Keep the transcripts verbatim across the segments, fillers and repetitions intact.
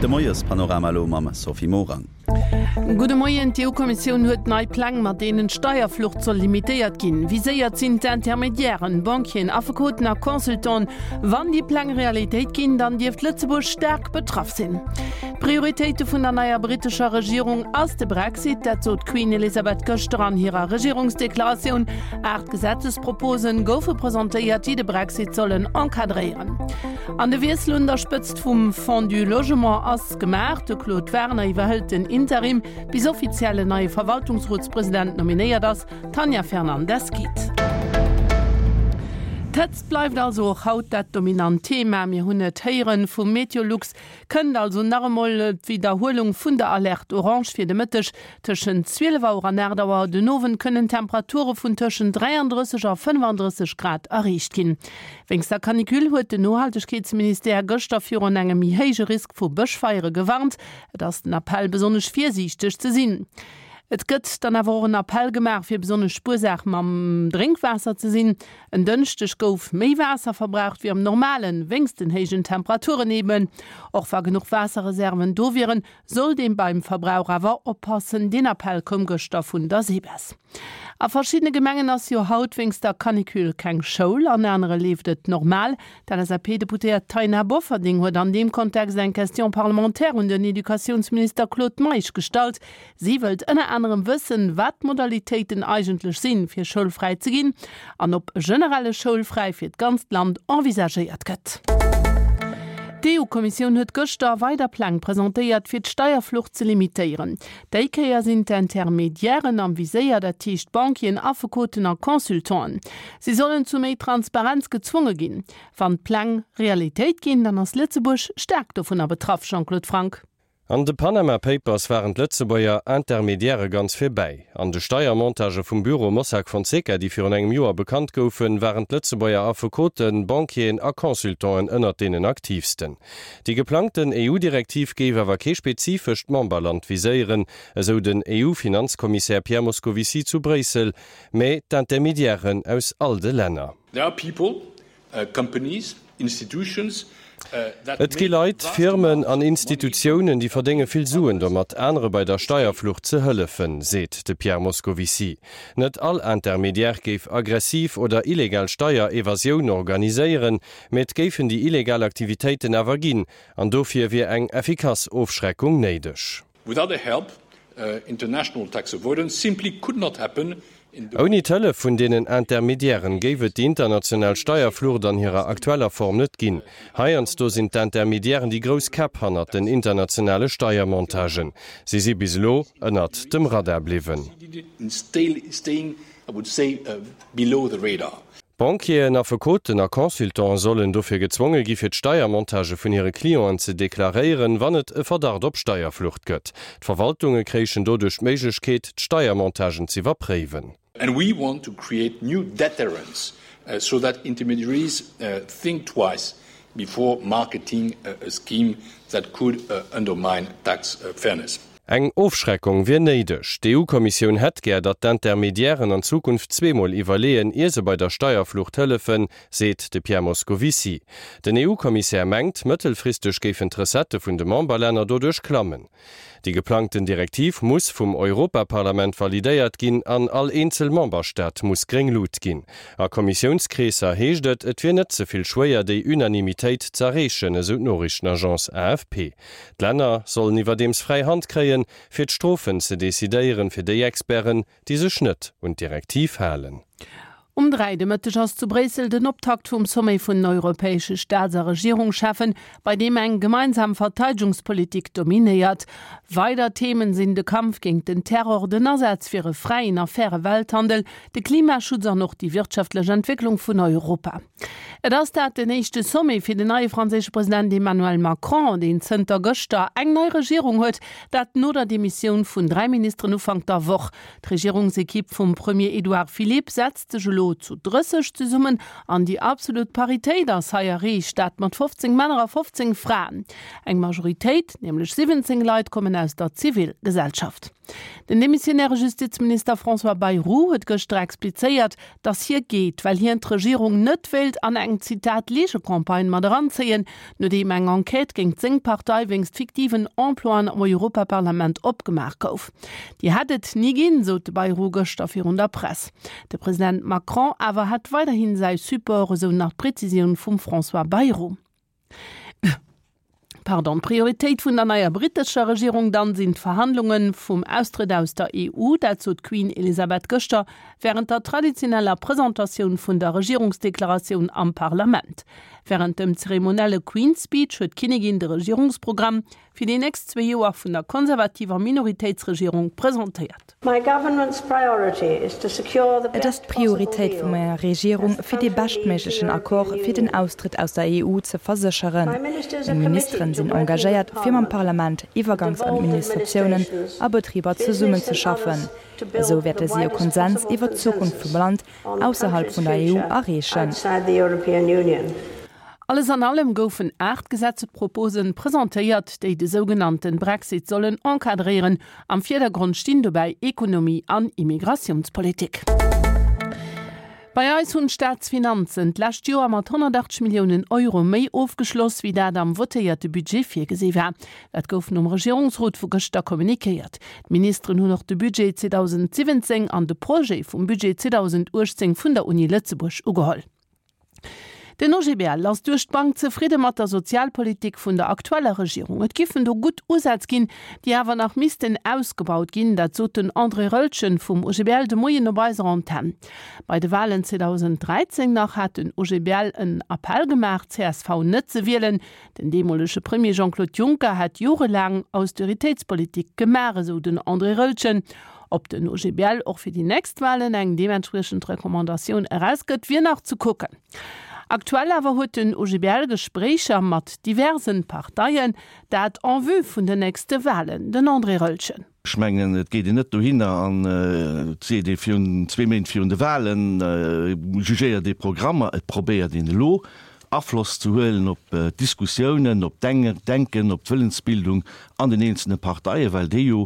De Moiespanorama elo mam Sophie Morang. Gudde Moien, D'EU-Kommissioun huet nei Pläng, mat deenen d'Steierflucht soll limitéiert ginn. Viséiert sinn d'Intermediairen, Banquieren, Affekoten a Consultanten. Wann déi Pläng Realitéit ginn, dann dierft Lëtzebuerg staark betraff sinn. D'Prioritéite vun der neier brittescher Regierung ass de Brexit, dat sot d'Queen Elizabeth gëschter an hirer Regierungsdeklaratioun. Aacht Gesetzesproposen goufe presentéiert, déi de Brexit sollen encadréieren. An de Wiessel un der Spëtzt vum Fonds du Logement ass gemaach. De Claude Werner iwwerhëlt den Interim, bis offiziell en neie Verwaltungsrotspresident nominéiert ass. D'Tanja Fernandes geet. D'Hëtzt bleift also och haut dat dominant Thema. Mir hunn et héieren vum Meteolux, kënnt also nach emol d'Widderhuelung vun der Alerte orange fir de Mëtteg. Tëschent zwielef Auer an aacht Auer den Owend kënnen Temperature vun tëschent dräiandrësseg a fënnefandrësseg Grad erreecht ginn. Wéinst der Canicule huet den Nohaltegkeetsministère gëschter virun engem méi héije Risk vu Bëschfeiere gewarnt. Et ass den Appell besonnesch virsiichteg ze sinn. Et gëtt dann awer och en Appell gemaach, fir besonnesch spuersam mam Drénkwaasser ze sinn. En Dënschdeg gouf méi Waasser verbraucht wéi am Normalen, wéinst den héijen Temperaturen eben. Och wa genuch Waasserreserven do wieren, sollt ee beim Verbrauch awer oppassen. Deen Appell koum gëschter vun der SEBES. A verschiddene Gemengen ass jo haut wéinst der Canicule keng Schoul, an anere leeft et normal. D'LSAP-Deputéiert Taina Bofferding huet an deem Kontext eng Question parlementaire un den Educatiounsminister Claude Meisch gestallt. Si wëllt ënner anerem wëssen, wat d'Modalitéiten eigentlech sinn, fir schoulfräi ze ginn an ob e generelle Schoulfräi fir d'ganzt Land envisagéiert gëtt. D'EU-Kommissioun huet gëschter weider Pläng presentéiert, fir d'Steierflucht ze limitéieren. Déi Kéier sinn d'Intermediairen am Viséier, dat heescht Banquieren, Affekoten a Consultanten. Si sollen zu méi Transparenz gezwonge ginn. Wann d'Pläng Realitéit ginn, dann ass Lëtzebuerg staark dovunner betraff, Jean-Claude Franck. An de Panama Papers waren d'Lëtzebuerger Intermediairë ganz vir bäi. An de Steiermontagë vum Büro Mossack Fonseca, déi virun engem Joer bekannt goufen, waren d'Lëtzebuerger Affekoten, Banquieren a Consultanten ënnert deenen aktiivsten. Déi geplangten EU-Direktiv géif awer kee spezifescht Memberland viséieren, esou den EU-Finanzkommissär Pierre Moscovici zu Bréissel, mä d'Intermediairen aus all de Länner. There are people, companies, institutions Et gi Leit, Firmen an Institutiounen, déi verdénge vill Suen domat, anere bei der Steierflucht ze hëllefen, seet de Pierre Moscovici. Net all Intermediaire géif aggressiv oder illegal Steierevasioun organiséieren, mä et géifen déi illegal Aktivitéiten awer ginn, an dofir wier eng effikass Ofschreckung néideg. Without their help, international tax avoidance simply could not happen in the. Ouni d'Hëllef vun deenen Intermediairen géif et déi international Steierflucht an hirer aktueller Form net ginn. Heiansdo sinn d'Intermediairen déi grouss Käpp hannert den internationale Steiermontagen. Si si bis elo ënnert dem Radar bliwwen. Banquieren, Affekoten a Consultante sollen dofir gezwonge gi fir d'Steiermontagë vun hire Clienten ze deklaréieren, wann et e Verdacht op Steierflucht gëtt. D'Verwaltunge kréichen doduerch d'Méiglechkeet, d'Steiermontagen z'iwwerpréiwen. And we want to create new deterrents so that intermediaries think twice before marketing a scheme that could undermine tax fairness. Eng Ofschreckung wier néideg. D'EU-Kommissioun hätt gär, datt d'Intermediairen an Zukunft zweemol iwwerleeën, ier se bei der Steierflucht hëllefen, seet de Pierre Moscovici. Den EU-Kommissär mengt, mëttelfristeg géifen d'Recettë vun de Memberlänner doduerch klammen. Déi geplangten Direktiv muss vum Europaparlament validéiert ginn an all eenzel Memberstaat muss gréng Lut ginn. A Kommissiounskreesser heescht et, et wier net ze vill schwéier, déi Unanimitéit z'erreechen, esou d'Noriichtenagence A F P. D'Länner sollen iwwerdeems fräi Hand kréien, fir d'Strofen ze decidéieren, fir déi Experten, déi sech net un d'Direktiv halen. Um dräi de Mëtteg ass zu Bréissel den Optakt vum Sommet vun den europäesche Staats a Regierungscheffen, bei deem eng gemeinsam Verteidegungspolitik dominéiert. Weider Themen sinn de Kampf géint den Terror, den Asaz fir e fräien a faire Welthandel, de Klimaschutz an och déi wirtschaftlech Entwécklung vun Europa. Et ass dat den éischte Sommet fir den neie franséische President Emmanuel Macron, deen zënter gëschter eng nei Regierung huet, dat no der Demissioun vun dräi Ministeren Ufank der Woch. D'Regierungsekipp vum Premier Edouard Philippe setzt sech elo elo zu drësseg zesummen an déi absolut Paritéit ass hei erreecht, dat mat fofzéng Männer a fofzéng Fraen. Eng Majoritéit, nämlech siwwenzéng Leit, kommen aus der Zivilgesellschaft. Den demissionäre Justizminister François Bayrou huet gëschter explizéiert, datt hie geet, well hien d'Regierung net wéilt an eng, Zitat, Ligecampagne mat eranzéien, nodeem eng Enquête géingt seng Partei wéinst fiktiven Emploien am Europaparlament opgemaach gouf. Déi hätt et ni ginn, sot de Bayrou gëschter virun der Press. De President Macron awer hätt weiderhin säi Support, esou nach d'Prezisioun vum François Bayrou. Pardon. D'Prioritéit vun der neier brittescher Regierung dann sinn d'Verhandlunge vum Austrëtt aus der E U, dat sot d'Queen Elisabeth gëschter wärend der traditioneller Presentatioun vun der Regierungsdeklaratioun am Parlament. Wärend dem zeremonielle Queen's Speech huet d'Kinnigin de Regierungsprogramm fir déi nächst zwee Joer vun der konservativer Minoritéitsregierung presentéiert. Et ass d'Prioritéit vu menger Regierung, fir dee beschtméiglechen Accord fir den Austrëtt aus der E U ze versécheren. Meng Ministeren sinn engagéiert, fir mam Parlament, Iwwergangsadministratiounen a Betriber zesummenzeschaffen. Esou wäerte si e Konsens iwwer d'Zukunft vum Land ausserhalb vun der E U erreechen. Alles an allem goufen aacht Gesetzesproposen presentéiert, déi de sougenannten Brexit sollen encadréieren. Am Virdergrond stinn dobäi Ekonomie an Immigratiounspolitik. Bei eis hunn d'Staatsfinanzen d'lescht Joer mat honnertachtzeg Milliounen Euro méi ofgeschloss, wéi dat am votéierte Budget virgesi war. Dat gouf nom Regierungsrot vu gëschter kommunikéiert. D'Ministeren hunn och de Budget zweedausendsiwwenzéng an de Projet vum Budget zweedausenduechtzéng vun der Uni Lëtzebuerg ugeholl. Den O G B L ass duerch d'Bank zefridde mat der Sozialpolitik vun der aktueller Regierung. Et giffen do gutt Usätz ginn, déi awer nach missten ausgebaut ginn, dat sot den André Roeltgen vum O G B L de Moien op eiser Antenn. Bei de Walen zweedausenddräizéng nach hat den O G B L en Appell gemaach, C S V net ze wielen. Den deemolege Premier Jean-Claude Juncker hätt jorelaang Austeritéitspolitik gemaach, esou den André Roeltgen. Ob den O G B L och fir déi nächst Walen eng deementspriechend Recommandatioun erausgëtt, wier nach ze kucken. Aktuell awer huet den O G B L Gespréicher mat diversen Parteien, dat en vue vun den nächste Walen. Den André Roeltgen. Ech mengen, et geet een net dohinner an et seet ee virun zwee Méint virun de Walen, jugéiert ee Programmer. Et probéiert een elo Afloss ze huelen op d'Diskussiounen, op d'Denken, op d'Wëllensbildung an den eenzelne Parteien, well déi jo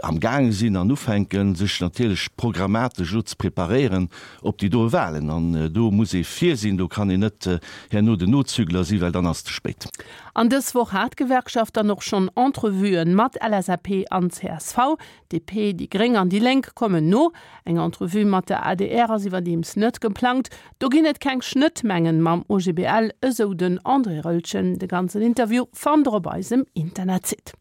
amgaange sinn an ufänken, sech natierlech programmatesch elo ze preparéieren op déi doe Wahlen. An do muss ee vir sinn, do kann een net herno den Nozügler sinn, well dann ass et ze spéit. An dës Woch hat d'Gewerkschaft dann och schonn Entrevuen mat L S A P an C S V. D P, déi Gréng an déi Lénk kommen no. Eng Entrevue mat der A D R ass iwwerdeems net geplangt. Do ginn et keng Schnëttmengen mam O G B L, esou den André Roeltgen. De ganzen Interview fannt der op eisem Internetsite.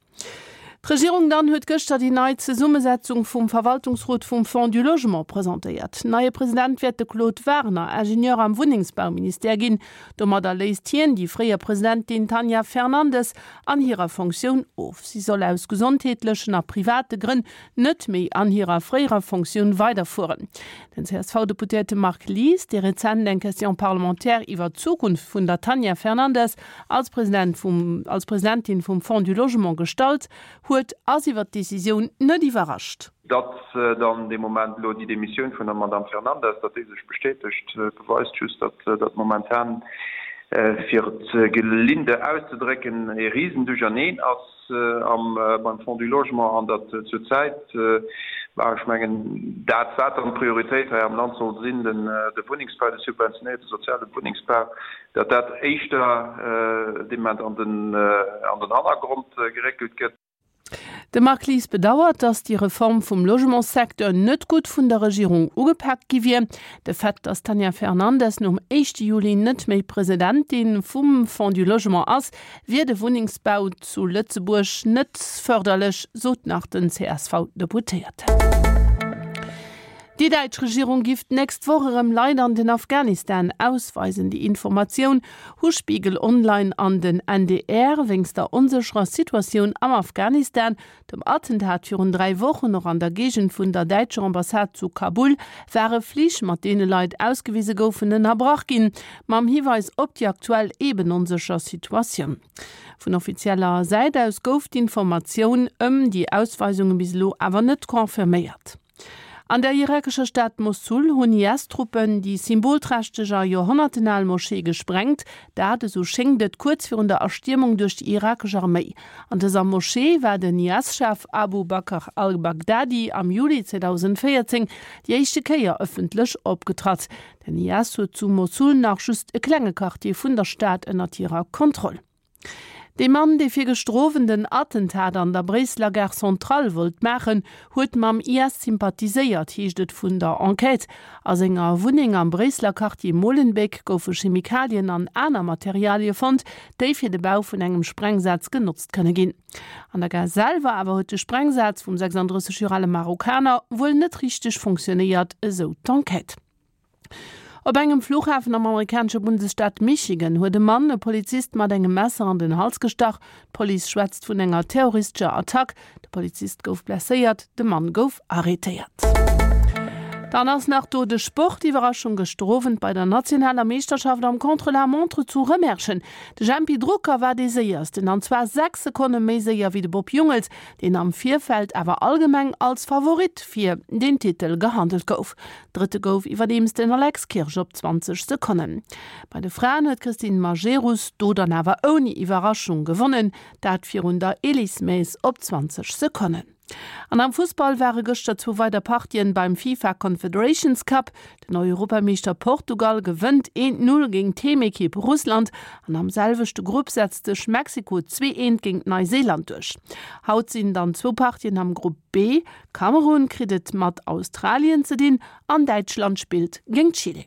D'Regierung dann huet gëschter déi nei Zesummesetzung vum Verwaltungsrot vum Fonds du Logement presentéiert. Neie President wäert de Claude Werner, Ingenieur am Wunnengsbauministère ginn. Domadder léist hien déi fréier Presidentin Tanja Fernandes an hirer Fonctioun of. Si soll aus gesondheetlechen a private Grënn net méi an hirer fréierer Fonctioun weiderfueren. Den C S V-Deputéierte Marc Lies, dee rezent eng Question parlementaire iwwer d'Zukunft vun der Tanja Fernandes als President vum, als Presidentin vum Fonds du Logement gestallt huet, ass iwwer d'Decisioun net iwwerrascht. Datt dann dee Moment elo déi Demissioun vun der Madamm Fernandes, datt déi sech bestätegt, beweist just, datt datt momentan, fir et gelinde auszedrécken, e Risenduercherneen ass am beim Fonds du Logement an datt zur Zäit, bah, ech mengen, dat wat dann d'Prioritéit hei am Land soll sinn, den de Wunnengsbau, de subventionéierte soziale Wunnengsbau, datt dat éischter dee Moment an den an den Hannergrond geréckelt gëtt. De Marc Lies bedauert, datt déi Reform vum Logementssecteur net gutt vun der Regierung ugepak gi wier. De Fait, datt d'Tanja Fernandes nom éischte Juli net méi Presidentin vum Fonds du Logement ass, wier de Wunnengsbau zu Lëtzebuerg net fërderlech, sot nach den C S V-Deputéierten. Déi däitsch Regierung giff d'nächst Woch erëm Leit an den Afghanistan ausweisen. Déi Informatioun hu Spiegel Online an den N D R wéinst der onsécherer Situatioun am Afghanistan, dem Attentat virun dräi Wochen och an der Géigend vun der däitscher Ambassade zu Kabul, ware Flich, mat deene Leit ausgewise goufen, ënnerbrach ginn, mam Hiweis op déi aktuell eben onsécher Situatioun. Vun offizieller Säit aus gouf d'Informatioun ëm déi Ausweisunge bis elo awer net confirméiert. An der irakescher Stad Mossul hunn IS-Truppen déi symbolträchteg a joerhonnertenal Moschee gesprengt, dat, esou schéngt et, kuerz virun der Erstiermung duerch déi irakesch Arméi. An dëser Moschee war den IS-Chef Abu Bakr al-Baghdadi am Juli zweedausendvéierzéng déi éischte Kéier ëffentlech opgetratt. Den I S huet zu Mossul nach just e klenge Quartier vun der Stad ënnert hirer Kontroll. Dee Mann, dee fir gëschter Owend en Attentat an der Bréisseler Gare Centrale wollt maachen, huet mam I S sympathiséiert, heescht et vun der Enquête. A senger Wunneng am Bréisseler Quartier Molenbeek goufe Chemikalien an aner Materialie fonnt, déi fir de Bau vun engem Sprengsaz genotzt kënne ginn. An der Gare selwer awer huet de Sprengsaz vum sechsanddrësseg Joer ale Marokkaner wuel net richteg funktionéiert, esou d'Enquête. Op engem Fluchhafen am amerikanesche Bundesstaat Michigan huet e Mann e Polizist mat engem Messer an den Hals gestach. D'Police schwätzt vun enger terroristescher Attack. De Polizist gouf blesséiert, de Mann gouf arretéiert. Dann ass nach do de Sport, Iwwerraschung gëschter Owend bei der nationaler Meeschterschaft am Contre-la-montre zu Rëmerschen. De Jempy Drucker war dee séiersten, an zwar sechs Sekonne méi séier wéi de Bob Jungels, deen am Virfeld awer allgemeng als Favorit fir den Titel gehandelt gouf. Drëtte gouf iwwerdeems den Alex Kirsch op zwanzeg Sekonnen. Bei de Fraen huet d'Christine Majerus do dann awer ouni Iwwerraschung gewonnen, dat virun der Elise Maes op zwanzeg Sekonnen. An am Fussball ware gëschter zwou weider Partien beim FIFA Confederations Cup. Den Europameeschter Portugal gewënnt eent Null géint d'Heemekipp Russland an am selwechte Grupp setzt sech Mexiko zwee eent géint Neuseeland duerch. Haut sinn dann zwou Partien am Grupp B, Kamerun kritt et mat Australien ze dinn an Däitschland spillt géint Chile.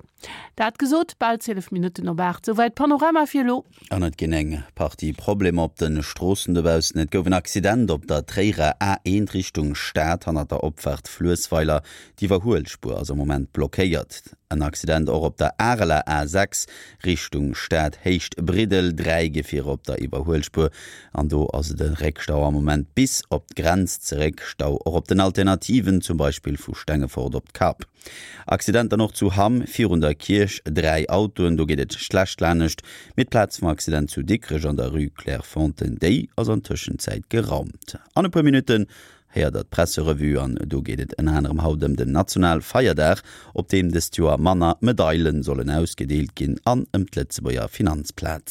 Dat gesot, bal zwielef Minutten op aacht, souwäit Panorama fir elo. An et ginn eng Partie Problemer op de Stroossen dobaussen. Et gouf en Accident op der Tréierer A eent Richtung Stad hannert der Opfaart Fluessweiler. D'Iwwerhuelspuer ass am Moment blockéiert. En Accident och op der Areler A sechs Richtung Stad, Héicht Briddel, dräi Gefierer op der Iwwerhuelspuer an do ass et e Réckstau am Moment bis op d'Grenz zeréck. Stau och op den Alternativen, zum Beispill vu Stengefort op d'Kap. Accident dann och zu Hamm virun der Kierch, dräi Autoen, do geet et schlecht lanescht. Mee d'Plaz vum Accident zu Dikrech an der Rue Clairefontaine, déi ass an Tëschenzäit geraumt. An e puer Minutten héiert der d'Presserevue an do geet et ënner anerem haut ëm den Nationalfeierdag, op deem dëst Joer manner Medaile sollen ausgedeelt ginn an ëm d'Lëtzebuerger Finanzplaz.